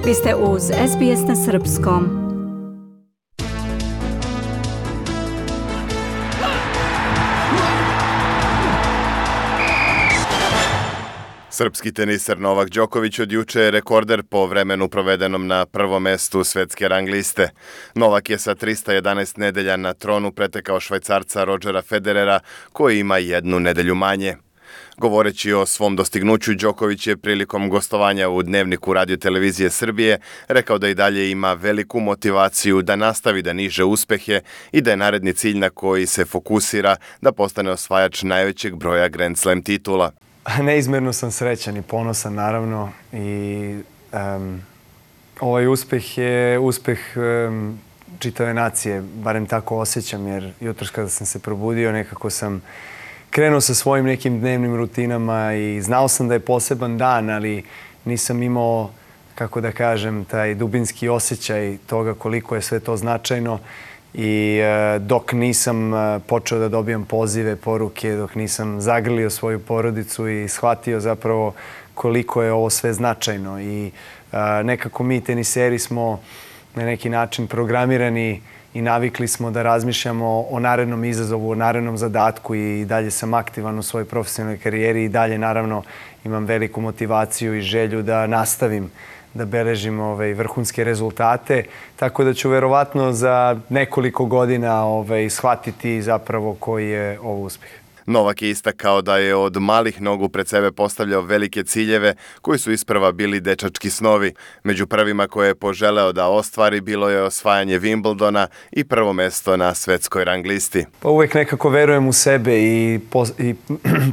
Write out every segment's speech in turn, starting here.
Vi ste uz SBS na srpskom. Srpski teniser Novak Đoković od juče je rekorder po vremenu provedenom na prvom mestu svetske rang liste. Novak je sa 311 nedelja na tronu pretekao Švajcarca Rodgera Federera, koji ima jednu nedelju manje. Govoreći o svom dostignuću, Đoković je prilikom gostovanja u Dnevniku Radio-televizije Srbije rekao da i dalje ima veliku motivaciju da nastavi da niže uspehe i da je naredni cilj na koji se fokusira da postane osvajač najvećeg broja Grand Slam titula. Neizmjerno sam srećan i ponosan, naravno, i ovaj uspeh je uspeh čitave nacije, barem tako osjećam, jer jutros kada sam se probudio nekako sam krenuo sa svojim nekim dnevnim rutinama i znao sam da je poseban dan, ali nisam imao, kako da kažem, taj dubinski osjećaj toga koliko je sve to značajno. I dok nisam počeo da dobijam pozive, poruke, dok nisam zagrlio svoju porodicu i shvatio zapravo koliko je ovo sve značajno. I nekako mi teniseri smo na neki način programirani i navikli smo da razmišljamo o narednom izazovu, o narednom zadatku i dalje sam aktivan u svojoj profesionalnoj karijeri i dalje naravno imam veliku motivaciju i želju da nastavim da beležim vrhunske rezultate, tako da ću verovatno za nekoliko godina shvatiti zapravo koji je ovo uspjeh. Novak je istakao da je od malih nogu pred sebe postavljao velike ciljeve koji su isprva bili dečački snovi. Među prvima koje je poželeo da ostvari bilo je osvajanje Wimbledona i prvo mesto na svetskoj rang listi. Pa uvijek nekako verujem u sebe i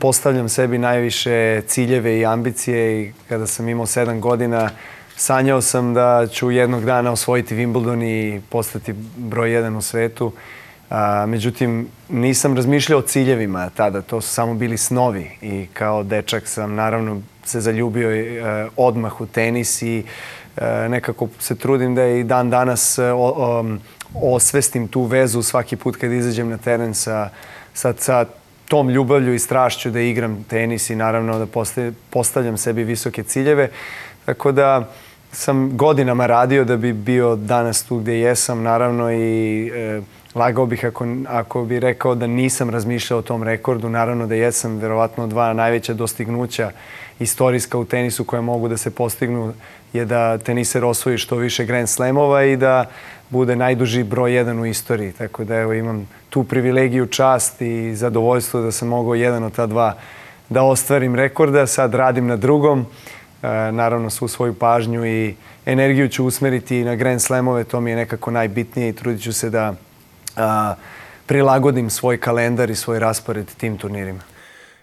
postavljam sebi najviše ciljeve i ambicije i kada sam imao 7 godina sanjao sam da ću jednog dana osvojiti Wimbledon i postati broj 1 u svetu. Međutim, nisam razmišljao o ciljevima tada, to su samo bili snovi i kao dečak sam naravno se zaljubio odmah u tenis i nekako se trudim da i dan danas osvestim tu vezu svaki put kad izađem na teren sa tom ljubavlju i strašću da igram tenis i naravno da postavljam sebi visoke ciljeve. Tako da sam godinama radio da bi bio danas tu gdje jesam, naravno, i lagao bih ako bi rekao da nisam razmišljao o tom rekordu. Naravno da jesam, verovatno 2 najveća dostignuća istorijska u tenisu koje mogu da se postignu je da teniser osvoji što više Grand Slamova i da bude najduži broj 1 u istoriji. Tako da evo, imam tu privilegiju, čast i zadovoljstvo da sam mogao jedan od ta 2 da ostvarim rekorda. Sad radim na drugom. Naravno, svu svoju pažnju i energiju ću usmeriti na Grand Slamove, to mi je nekako najbitnije i trudit ću se da prilagodim svoj kalendar i svoj raspored tim turnirima.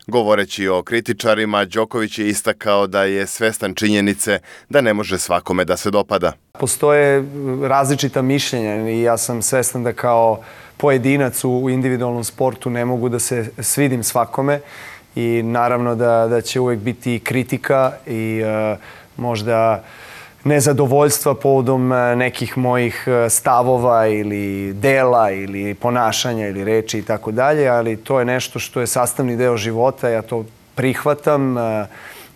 Govoreći o kritičarima, Đoković je istakao da je svestan činjenice da ne može svakome da se dopada. Postoje različita mišljenja i ja sam svestan da kao pojedinac u individualnom sportu ne mogu da se svidim svakome. I naravno da će uvijek biti kritika i možda nezadovoljstva povodom nekih mojih stavova ili dela ili ponašanja ili reči i tako dalje, ali to je nešto što je sastavni deo života, ja to prihvatam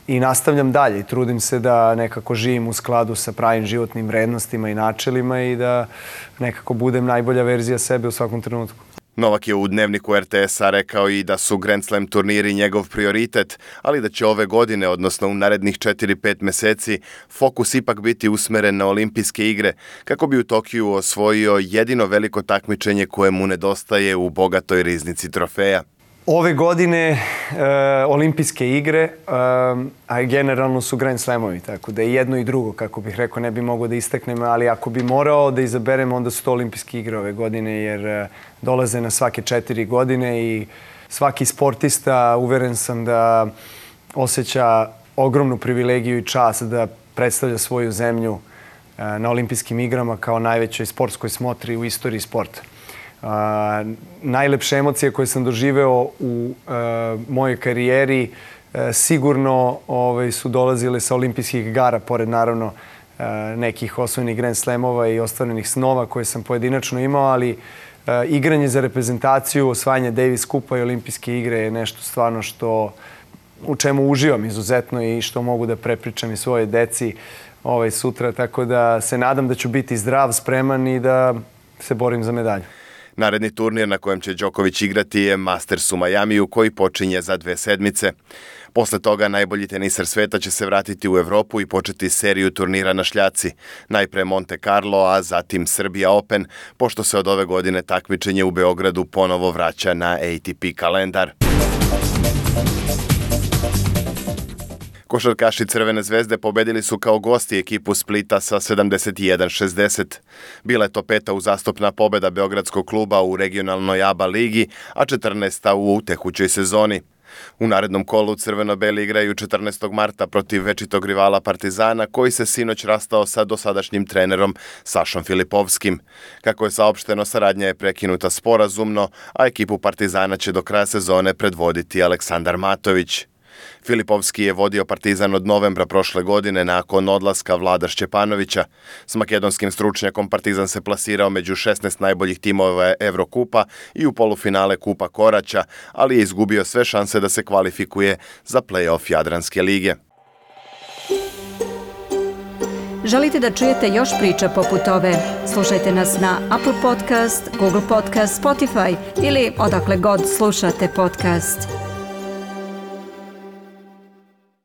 i nastavljam dalje. Trudim se da nekako živim u skladu sa pravim životnim vrednostima i načelima i da nekako budem najbolja verzija sebe u svakom trenutku. Novak je u Dnevniku RTS-a rekao i da su Grand Slam turniri njegov prioritet, ali da će ove godine, odnosno u narednih 4-5 meseci, fokus ipak biti usmeren na olimpijske igre, kako bi u Tokiju osvojio jedino veliko takmičenje koje mu nedostaje u bogatoj riznici trofeja. Ove godine olimpijske igre, a generalno su Grand Slamovi, tako da je jedno i drugo, kako bih rekao, ne bi mogao da istaknem, ali ako bi morao da izaberem, onda su to olimpijske igre ove godine, jer dolaze na svake 4 godine i svaki sportista, uveren sam da osjeća ogromnu privilegiju i čast da predstavlja svoju zemlju na olimpijskim igrama kao najvećoj sportskoj smotri u istoriji sporta. Najlepše emocije koje sam doživeo u mojoj karijeri sigurno su dolazile sa olimpijskih igara, pored naravno nekih osvojenih Grand Slamova i ostvarenih snova koje sam pojedinačno imao, ali igranje za reprezentaciju, osvajanje Davis Kupa i olimpijske igre je nešto stvarno u čemu uživam izuzetno i što mogu da prepričam i svoje deci sutra, tako da se nadam da ću biti zdrav, spreman i da se borim za medalju. Naredni turnir na kojem će Đoković igrati je Masters u Majamiju koji počinje za 2 sedmice. Posle toga najbolji teniser sveta će se vratiti u Evropu i početi seriju turnira na šljaci. Najpre Monte Carlo, a zatim Serbia Open, pošto se od ove godine takmičenje u Beogradu ponovo vraća na ATP kalendar. Košarkaši Crvene zvezde pobedili su kao gosti ekipu Splita sa 71-60. Bila je to 5. uzastopna pobeda beogradskog kluba u regionalnoj ABA ligi, a 14. u tekućoj sezoni. U narednom kolu crveno-beli igraju 14. marta protiv večitog rivala Partizana, koji se sinoć rastao sa dosadašnjim trenerom Sašom Filipovskim. Kako je saopšteno, saradnja je prekinuta sporazumno, a ekipu Partizana će do kraja sezone predvoditi Aleksandar Matović. Filipovski je vodio Partizan od novembra prošle godine nakon odlaska Vlada Šćepanovića. S makedonskim stručnjakom Partizan se plasirao među 16 najboljih timova Evrokupa i u polufinale Kupa Koraća, ali je izgubio sve šanse da se kvalifikuje za play-off Jadranske lige. Želite da čujete još priča poput ove? Slušajte nas na Apple Podcast, Google Podcast, Spotify ili odakle god slušate podcast.